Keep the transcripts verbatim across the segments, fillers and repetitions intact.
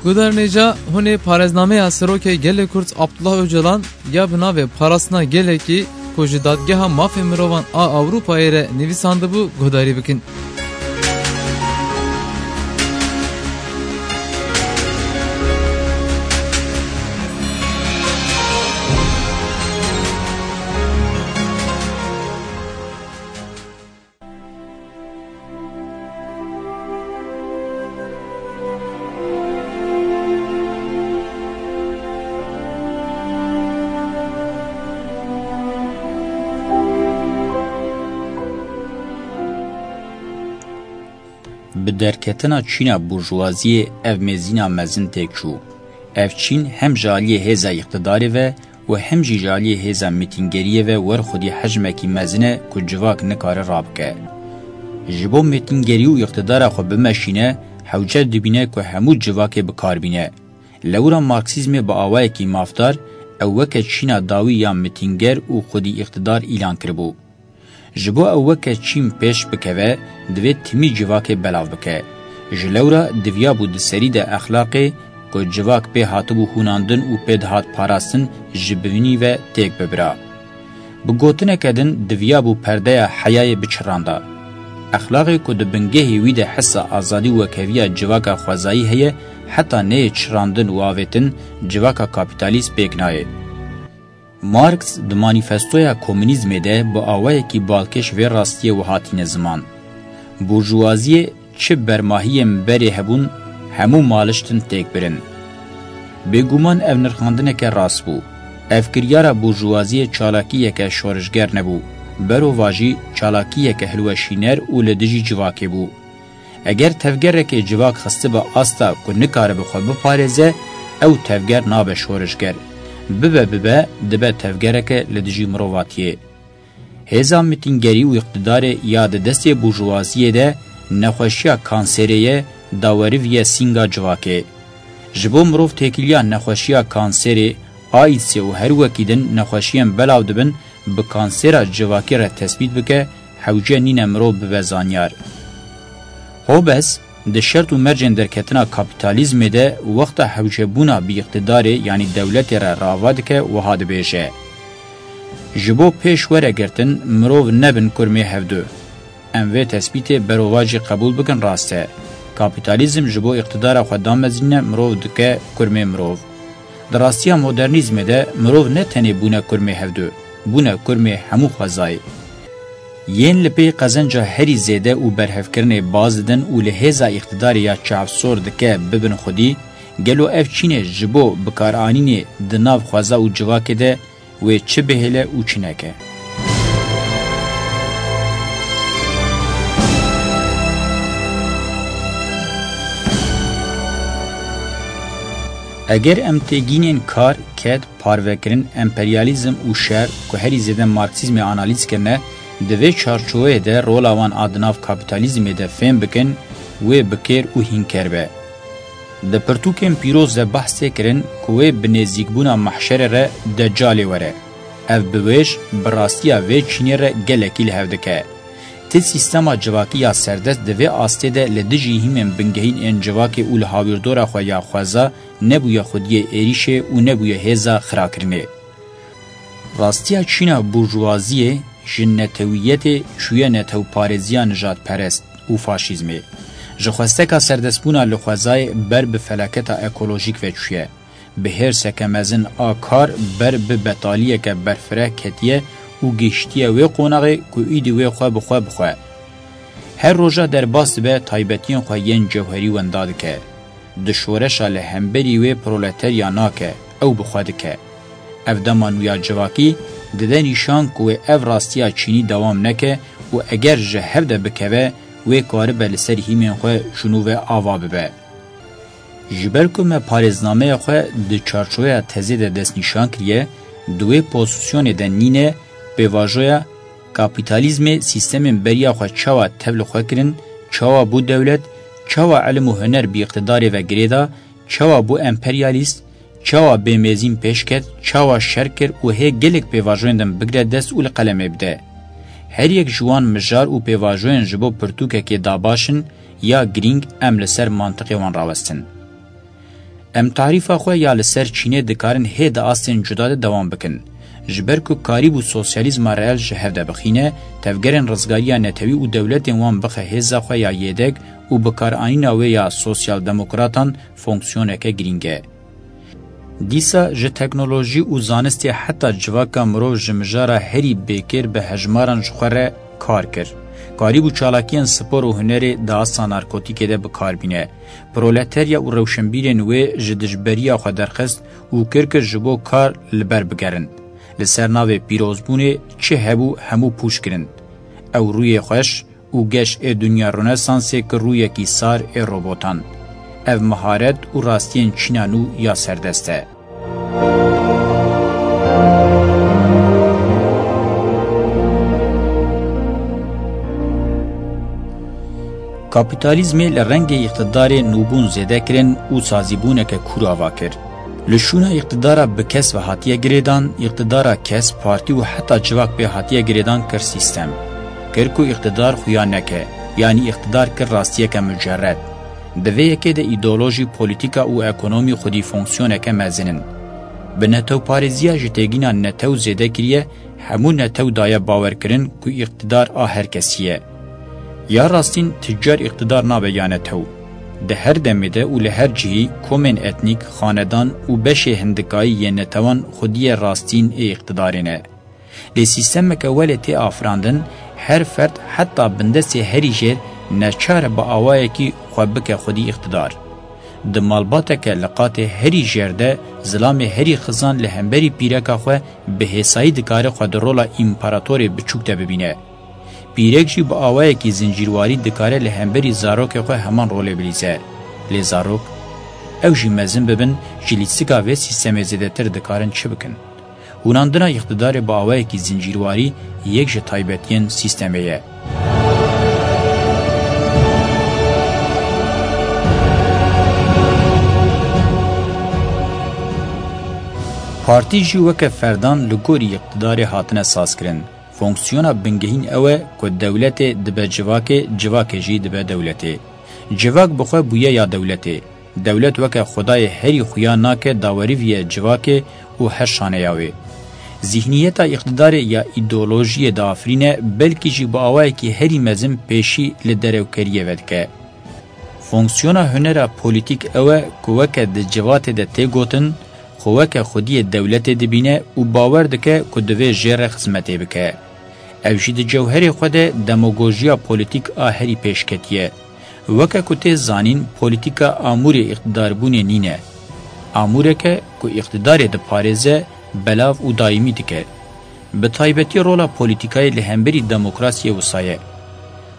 Guhdarên hêja, hûn ê parêznameya Serokê Gelê Kurd Abdullah Ocalan ya bi navê Parastina Gelekî ku ji Dadgeha Mafê Mirovan a Ewropayê re nivîsandibû guhdarî bikin. Bi derketina çîna burjuwaziyê ev mêzîna mezin têk çû. Ev çîn hem ji aliyê hêza îqtidarê ve û hem jî ji aliyê hêza mîtîngeriyê ve wer xwedî hejmekî mezin e ku civak nikare rabike. Ji bo mîtîngerî û îqtidara xwe bimeşîne, hewce dibîne ku hemû civakê bi kar bîne. Lewra Marksîzmê bi awayekî mafdar ew weke çîna dawî ya mîtînger û xwedî îqtidar îlan kiribû. Ji bo ew weke çîn pêş bikeve, divê timî civakê belav bike. Ji lewra diviyabû di serî de exlaqê ku civak pê hatibû hûnandin û pê dihat parastin ji bînî ve têk bibira. Bi gotineke din diviyabû perdeya heyayê biçiranda. Exlaqê ku di bingehê wî de hisa azadî û wekheviya civaka xwezayî heye, heta neyê çirandin û avêtin civaka kapîtalîst pêk nayê. Marx di manîfestoya komunîzmê de bi awayekî balkêş vê rastiyê wiha tîne ziman: Burjuwaziyê çi bermahiyên berê hebûn, hemû maliştin têk birin. Bêguman ev nirxandineke rast bû. Ev kiryara burjuwaziyê çalakiyeke şorişger nebû. Berovajî çalakiyeke hilweşîner û li dijî civakê bû. Eger tevgerekê civak xistibe asta ku nikaribe xwe biparêze, ew tevger nabe şorişger. Bibe bibe dibe tevgereke li dijî mirovatiyê. Hêza mitîngerî û îqtidarê ya di destê burjuwaziyê de nexweşiya kanserê ye, daweriviye sînga civakê. Ji bo mirov têkiliya nexweşiya kanserê, AIDSê û her wekî din nexweşiyên belav dibin, bi kansera civakî re tespît bike, hewce nîne mirov bibe zanyar. Hobbes di Şert û Mercên Derketina Kapîtalîzmê de wexta hewcebûna bi îqtidarê, yanî dewletê re rava dike, wiha dibêje: Ji bo pêş were girtin, mirov nebin kurmê hevdu. Em vê tespîtê berovajî qebûl bikin, rast e. Kapîtalîzm ji bo îqtidara xwe damezînine mirov dike kurmê mirov. Di rastiya modernîzmê de mirov ne tenê bûne kurmê hevdu, bûne kurmê hemû xwezayê. Yên li pey qezenca herî zêde û berhevkirinê baz didin û li hêza îqtidarê ya çavsor dike bibin xwedî, gelo ev çînê ji bo bikaranînê di nav xweza û civakê de wê çi bihêle û çi neke? Eger em têgînên kar, ked, parvekirin, emperyalîzm û şer, ku herî zêde Marksîzmê analîz kirine, di vê çarçoveyê de rola wan a di nav kapîtalîzmê de fêm bikin, wê bi kêr û hînker be. Di pirtûkên pîroz de behs tê kirin ku wê bi nêzîkbûna mehşerê re Decalê were. Ev biwêj bi rastiya vê çînê re gelekî li hev dike. Ti sîstema civakî ya serdest di vê astê de li dijî hîmên bingehîn ên civakê û li hawîrdora xwe ya xweza nebûye xwediyê êrîşê û nebûye hêza xirakirinê. Rastiya çîna burjuwaziyê ji netewiyetê çûye netewparêziya nijadperest û faşîzmê. Ji xwesteka serdestbûna li xwezayê ber bi felaketa ekolojîk ve çûye. Bi hêrseke mezin a kar ber bi betaliyeke berfireh ketiye û gihiştiye wê qonaxê ku îdî wê xwe bi xwe bixwe. Her roja derbas dibe, taybetiyên xwe yên cewherî wenda dike. Di şoreşa li hemberî wê proleterya nake, ew bi xwe dike. Ev dema nû ya civakî dide nîşan ku wê ev rastiya çînî dewam neke û eger ji hev de bikeve, wê karibe li ser hîmên xwe ji nû ve ava bibe. Ji ber ku me parêznameya xwe di çarçoveya tezê de destnîşan kiriye, di wê pozîsyonê de nîne, pêvajoya kapîtalîzmê sîstemên beriya xwe çawa tev li xwe kirin, çawa bû dewlet, çawa ilim û huner bi îqtidarê ve girêda, çawa bû emperyalîst, çawa bêmêzîn pêş ket, çawa şer kir û hê gelek pêvajoyên din bigire dest û li qelemê bide. Her yek ji wan mijar û pêvajoyên ji bo pirtûkekê dabaş in ya girîng em li ser mantiqê wan rawestin. Em tarîfa xwe ya li ser Çînê dikarin hê di astên cuda de dewam bikin. Ji ber ku karîbû sosyalîzma reel ji hev de bixîne, tevgerên rizgariya netewî û dewletên wan bixe hêza xwe ya yêdek û bikaranîna wê ya sosyaldemokratan fonksiyoneke girîng e. Dîsa ji teknolojî û zanistê heta civaka mirov ji mijara herî bêkêr bi hejmaran ji xwe re kar kir. Karîbû çalakiyên spor û hunerê di asta narkotîkê de bi kar bîne. Proleterya û rewşenbîrên wê ji dijberiya xwe derxist û kir ku ji bo kar li ber bigerin. Li ser navê pîrozbûnê çi hebû hemû pûç kirin. Ew rûyê xweş û geş ê dinya Rönesansê ki rûyekî sar ê robotan. Ev miharet û rastiyên Çîna nû ya serdest e. Kapîtalîzmê li rengê îqtidarê nûbûn zêde kirin û sazîbûneke kûr ava kir. Li şûna îqtidara bi kes ve hatiye girêdan, îqtidara kes, partî û heta civak pê hatiye girêdan kir sîstem. Kir ku îqtidar xuya neke, yanî îqtidar kir rastiyeke mucerred. Di vê yekê de îdeolojî, polîtîka û ekonomî xwedî fonksiyoneke mezin in. Bi netewparêziya ji têgîna netew zêde kiriye, hemû netew daye bawerkirin ku îqtidar a her kesî ye. Ya rastîn, tu car îqtidar nabe ya netew. Di her demê de û li her cihî komên etnîk, xanedan û beşê hindikayî yên netewan xwediyê rastîn ê îqtidarê ne. Lê sîstemeke welê tê afirandin, her ferd heta bindestê herî jêr neçar e bi awayekî xwe bike xwedî îqtidar. Di malbateke li qatê herî jêr de zilamê herî xizan li hemberî pîreka xwe bi hêsayî dikare xwe di rola împaratorê biçûk de bibîne. Pîrek jî bi awayekî zincîrwarî dikare li hemberî zarokê xwe heman rolê bilîze. Lê zarok, ew jî mezin bibin, ji lîstika vê sîstemê zêdetir dikarin çi bikin? Hûnandina îqtidarê bi awayekî zincîrwarî yek ji taybetiyên sîstemê ye. Partî jî weke ferdan li gorî îqtidarê hatine sazkirin. Fonksiyona bingehîn ew e ku dewletê dibe civakê, civakê jî dibe dewletê. Civak bi xwe bûye ya dewletê. Dewlet weke xwedayê herî xuya nake dawerîviye civakê û her şaneya wê. Zîhniyeta îqtidarê ya îdeolojiyê diafirîne, belkî jî bi awayekî herî mezin pêşî li derewkeriyê vedike. Fonksiyona hunera polîtîk ew e ku weke di civatê de tê gotin, xwe weke xwediyê dewletê dibîne û bawer dike ku divê jê re xizmetê bike. Ev jî di cewherê xwe de demagojiya polîtîk a herî pêşketî ye. Weke ku tê zanîn, polîtîka amûrê îqtidarbûnê nîne. Amûreke ku îqtidarê diparêze, belav û dayîmî dike. Bi taybetî rola polîtîkayê li hemberî demokrasiyê wisa ye.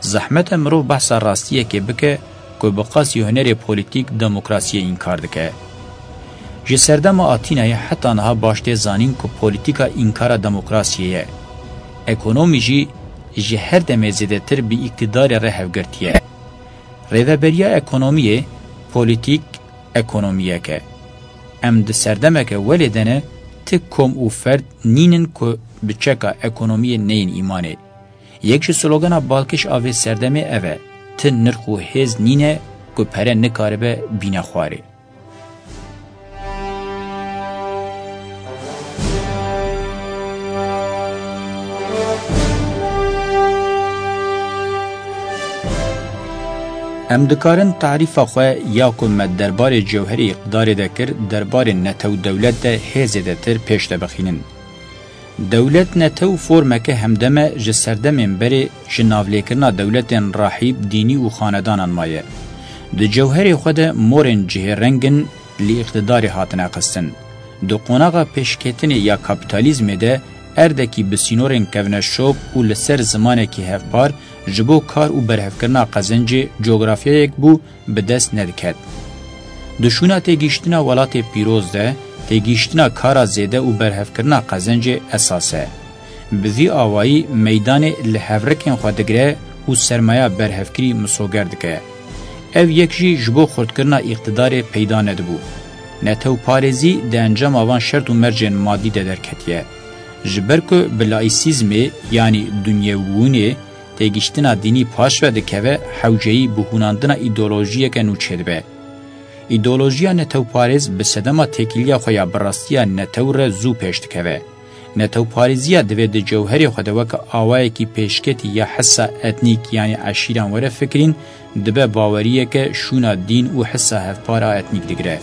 Zehmet e mirov behsa rastiyekê bike ku bi qasî hunerê polîtîk demokrasiyê înkar dike. Ji serdema Atînayê heta niha baş tê zanîn ku polîtîka înkara demokrasiyê ye. Ekonomî jî ji her demê zêdetir bi îktidarê re hevgirtî ye. Rêveberiya ekonomiyê, polîtîk, ekonomiyek e. Em di serdemeke welê de ne, ti kom û ferd nînin ku bi çeka ekonomiyê neyên îmanê. Yek ji slogana balkêş a vê serdemê ev e, ti nirx û hêz nîne ku pere nikaribe bîne xwarê. Em dikarin tarîfa xwe ya ku me derbarê cewherê îqtidarê de kir, derbarê netew dewlet de hê zêdetir pêş de bixînin. Dewlet netew formeke hemdem e ji serdemên berê ji navlêkirina dewletên rahîb, dînî û xanedanan maye. Di cewherê xwe de morên cihêreng in li îqtidarê hatine xistin. Di qonaxa pêşketinê ya kapîtalîzmê de erdekî bi sînorên kevneşop û li ser zimanekî hevpar ji bo kar û berhevkirina qezencê cografyayek bû bi dest nediket. Di şûna têgihiştina welatê pîroz de, têgihiştina kara zêde û berhevkirina qezencê esas e. Bi vî awayî meydanê li hevrikên xwe digire û sermaya berhevkirî misoger dike. Ev yek jî ji bo xurtkirina îqtidarê peyda nedibû. Netewparêzî di encama van şert û mercên madî de derketiye. Ji ber ku bi laîsîzmê, yanî dinyewbûnê, têgihiştina dînî paş ve dikeve, hewceyî bi hûnandina îdeolojiyeke nû çêdibe. Îdeolojiya netewparêz bi sedema têkiliya xwe ya bi rastiya netew re zû pêş dikeve. Netewparêziya divê di cewherê xwe de weke awayekî pêşketî ya hisa etnîk, yanî eşîran, were fikirîn, dibe baweriyeke şûna dîn û hisa hevpar a etnîk digire.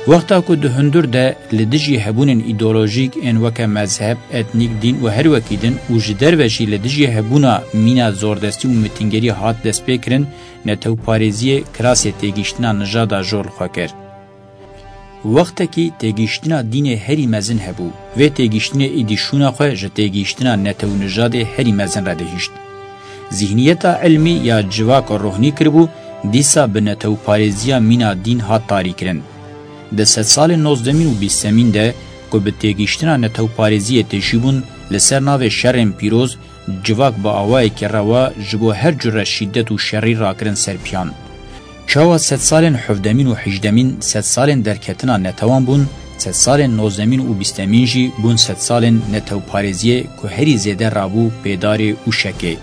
Wexta ku di hundir de li dijî hebûnên îdeolojîk ên weke mezheb, etnîk, dîn û her wekî din û ji derve jî li dijî hebûna mîna zordestî û mitingerî hat destpêkirin, netewparêziyê kirasê têgihiştina nijada jor li xwe kir. Wextekî têgihiştina dînê herî mezin hebû. Vê têgihiştinê êdî şûna xwe ji têgihiştina netew û nijadê herî mezin re dihişt. Zîhniyeta ilmî ya civak rohnî kiribû, dîsa bi netewparêziya mîna dîn hat tarîkirin. Di sedsalên nozdemîn û bîstemîn de ku bi têgihiştina netewparêziyê tijî bûn, li ser navê şerên pîroz, civak bi awayekî rewa ji bo her cure şîdet û şerî rakirin ser piyan. Çawa sedsalên hevdemîn û hejdemîn sedsalên derketina netewan bûn, sedsalên nozdemîn û bîstemîn jî bûn sedsalên netewparêziyê ku herî zêde rabû pêdarê û şekê.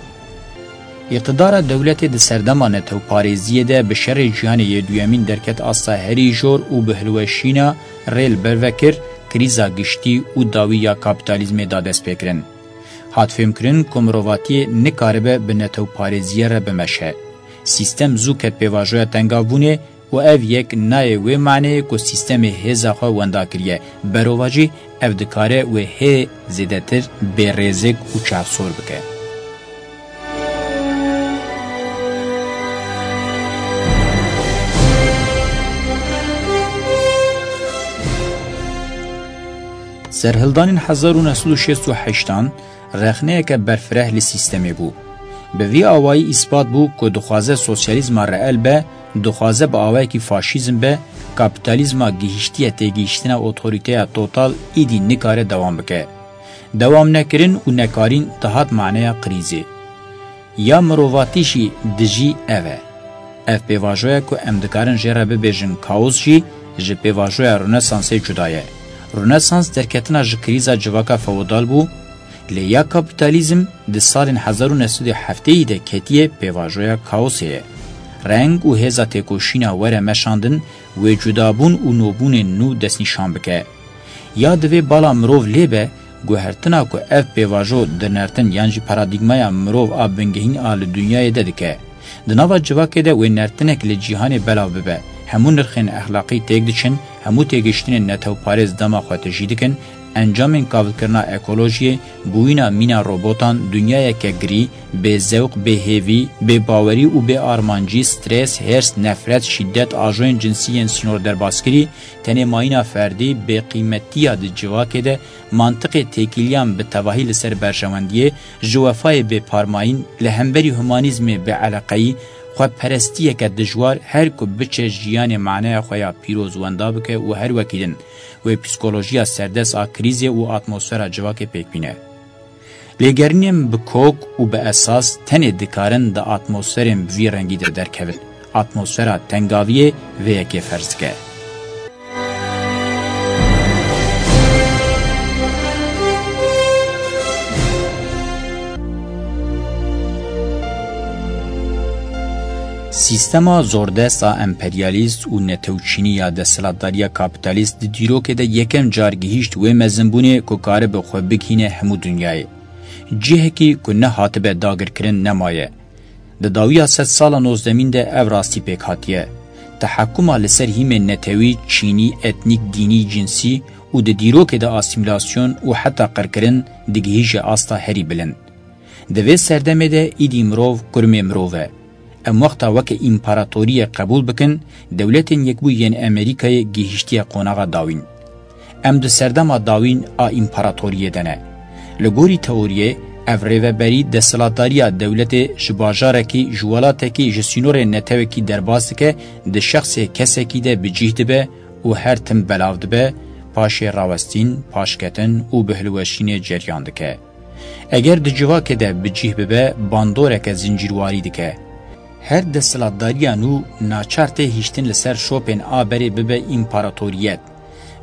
Îqtidara dewletê di serdema netewparêziyê de bi şerê cîhanê yê duyemîn derket asta herî jor û bi hilweşîna rê li ber ve kir, krîza giştî û dawî ya kapîtalîzmê da destpêkirin. Hat fêmkirin ku mirovatiyê nikaribe bi netewparêziyê re bimeşe. Sîstem zû ket pêvajoya tengavbûnê û ev yek nayê wê maneyê ku sîstemê hêza xwe wenda kiriye. Berovajî ev dikare wê hê zêdetir bêrêzik û çavsor bike. Serhildanên hezar û neh sed û şêst û heştan rexneyeke berfireh li sîstemê bû. Bi vî awayî îspat bû ku dixwaze sosyalîzma reel be, dixwaze bi awayekî faşîzm be, kapîtalîzma gihiştiye têgihiştina otorîteya total êdî nikare dewam bike. Dewam nekirin û nekarîn dihat maneya krîzê. Ya mirovatî jî dijî ev e. Ev pêvajoya ku em dikarin jê re bibêjin kaos jî ji pêvajoya Rönesansê cuda ye. Rönesans derketina ji krîza civaka feodal bû, lê ya kapîtalîzm di salên hezar û neh sed û heftêyî de ketiye pêvajoya kaosê ye. Reng û hêza têkoşîna were meşandin, wê cudabûn û nobûnên nû destnîşan bike. Ya divê bala mirov lê be, guhertina ku ev pêvajo dinertin yan jî paradîgmaya mirov a bingehîn a li dinyayê de dike. Di nava civakê de wê nertinek li cîhanê belav bibe. Hemû nirxên exlaqî têk diçin, hemû têgihiştinên netewparêz dema xwe tijî dikin, encamên kavilkirina ekolojiyê, bûyîna mîna robotan, dinyayeke girî, bê zewq, bê hêvî, bê bawerî û bê armancî, stres, hêrs, nefret, şîdet, ajoyên cinsî yên sînor derbaskirî, tenê mayîna ferdî, bêqîmetiya di civakê de, mantiqê têkiliyan bi tevahî li ser berjewendiyê, ji wefayê bêparmayîn, li hemberî humanîzmê bêeleqeyî, xweperestiyeke dijwar, her ku biçe jiyanê maneya xwe ya pîroz wenda bike û her wekî din, wê psîkolojiya serdest a krîzê û atmosfera civakê pêk bîne. Lêgerînên bi kok û bi esas tenê dikarin di atmosferên bi vî rengî de derkevin. Atmosfera tengaviyê vê yekê ferz dike. Sîstema zordest a emperyalîst û netewçînî ya desthilatdariya kapîtalîst di dîrokê de yekem car gihîşt wê mezinbûnê ku karibe xwe bigihîne hemû dinyayê. Cihekî ku nehatibe dagirkirin nemaye. Di dawiya sedsala nozdemîn de ev rastî pêk hatiye. Tehekuma li ser hîmên netewî, çînî, etnîk, dînî, cinsî û di dîrokê de asîmîlasyon û heta qirkirin digihîje asta herî bilind. Di vê serdemê de îdî mirov kurmê mirov e. Em wexta weke împaratoriyê qebûl bikin, Dewletên Yekbûyî yên Amerîkayê gihîştiye qonaxa dawîn. Em di serdema dawîn a împaratoriyê de ne. Li gorî teoriyê, ev rêveberî desthilatdariya dewletê ji bajarekî, ji welatekî, ji sînorên netewekî derbas dike, di şexsê kesekî de bi cih dibe û her tim belav dibe, paşê rawestîn, paşketin û bihilweşînê ceryan dike. Eger di civakê de bi cih bibe, bandoreke zincîrwarî dike. Her desthilatdariya nû naçar tê hiştin li ser şopên a berê bibe împaratoriyet.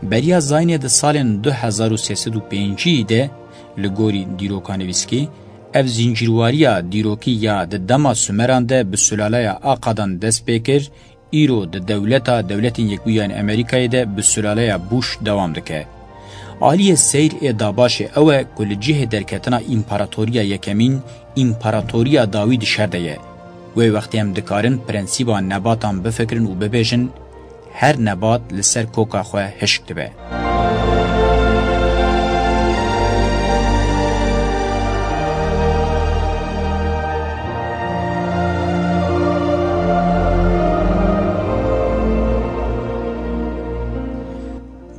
Beriya zayînê di salên du hezar û sê sed û pêncî de, li gorî dîrokanivîskî, ev zincîrwariya dîrokî ya di dema Sumeran de bi sulaleya Akadan dest pê kir, îro di dewleta Dewletên Yekbûyî yên Amerîkayê de bi sulaleya Bush dewam dike. Aliyê seyr ê Dabaşê ew e ku li cihê derketina împaratoriya yekemîn, împaratoriya dawî di şer de ye. Wê wextê em dikarin prensîba nebatan bifikirin û bibêjin, her nebat li ser koka xwe hişk dibe.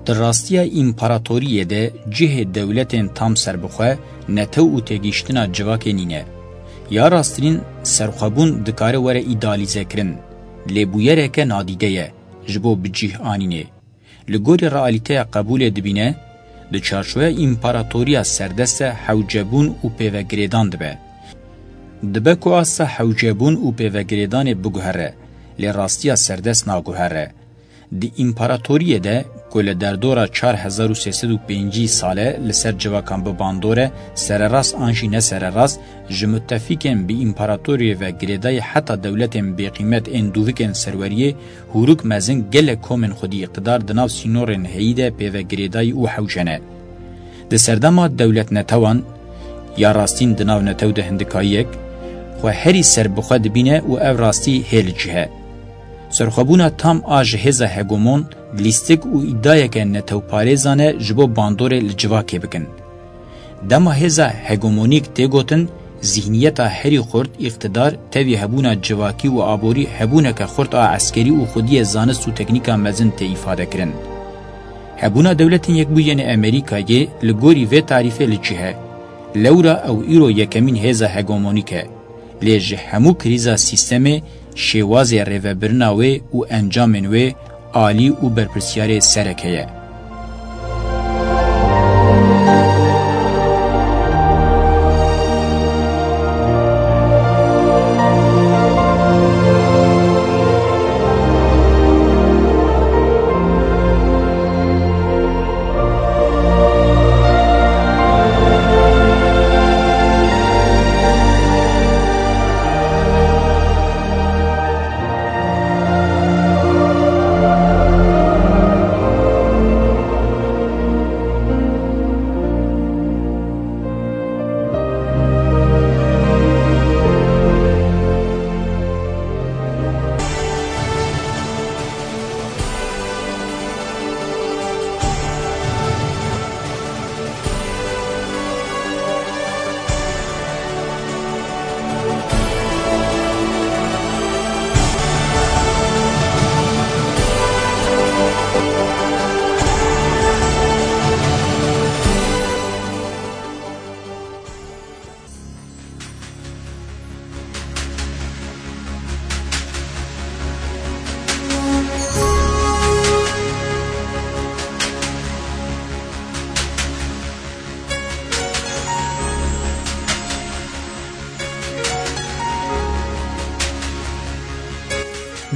Di rastiya împaratoriyê de cihê dewletên tam serbixwe, netew û têgihiştina civakê nîne. Ya rasttirîn serxwebûn dikare were îdealîzekirin, lê bûyereke nadîde ye ji bo bi cih anînê. Li gorî realîteya qebûlê dibîne, di çarçoveya împaratoriya serdest de hewcebûn û pêvegirêdan dibe. Dibe ku asta hewcebûn û pêvegirêdanê biguhere, lê rastiya serdest naguhere. Di împaratoriyê de ku li derdora çar hezar û sê sed û pêncî sale li ser civakan bi bandor e, sererast an jî ne sererast, ji mutefîkên bi împaratoriyê ve girêdayî heta dewletên bêqîmet ên dûvikên serweriyê, hûrûk mezin gelek komên xwedî îqtidar di nav sînorên heyî de pê ve girêdayî û hewce ne. Di serdema dewletnetewan, ya rastîn di nav netew de hindikayiyek, xwe herî serbixwe dibîne û ev rastî hê li cih e. Serxwebûna tam a ji hêza hegemon lîstik û îdayeke netewparêzan e ji bo bandorê li civakê bikin. Dema hêza hegemonîk tê gotin, zîhniyeta herî xurt, îqtidar, tevî hebûna civakî û aborî hebûneke xurt a eskerî û xwediyê zanist û teknîka mezin tê îfadekirin. Hebûna Dewletên Yekbûyî yên Amerîkayê li gorî vê tarîfê li cih e. Lewra ew îro yekemîn hêza hegemonîk e. Lê ji hemû krîza sîstemê, şêwazê rêvebirina wê û encamên wê alî û berpirsiyarê sereke ye.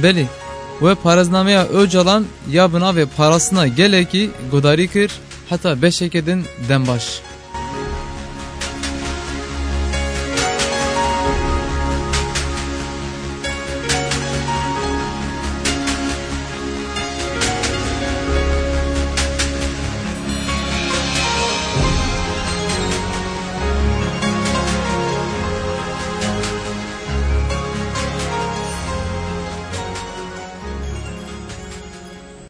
Belê, we parêznameya Ocalan ya bi navê Parastina Gelekî guhdarî kir, heta beşeke din dem baş.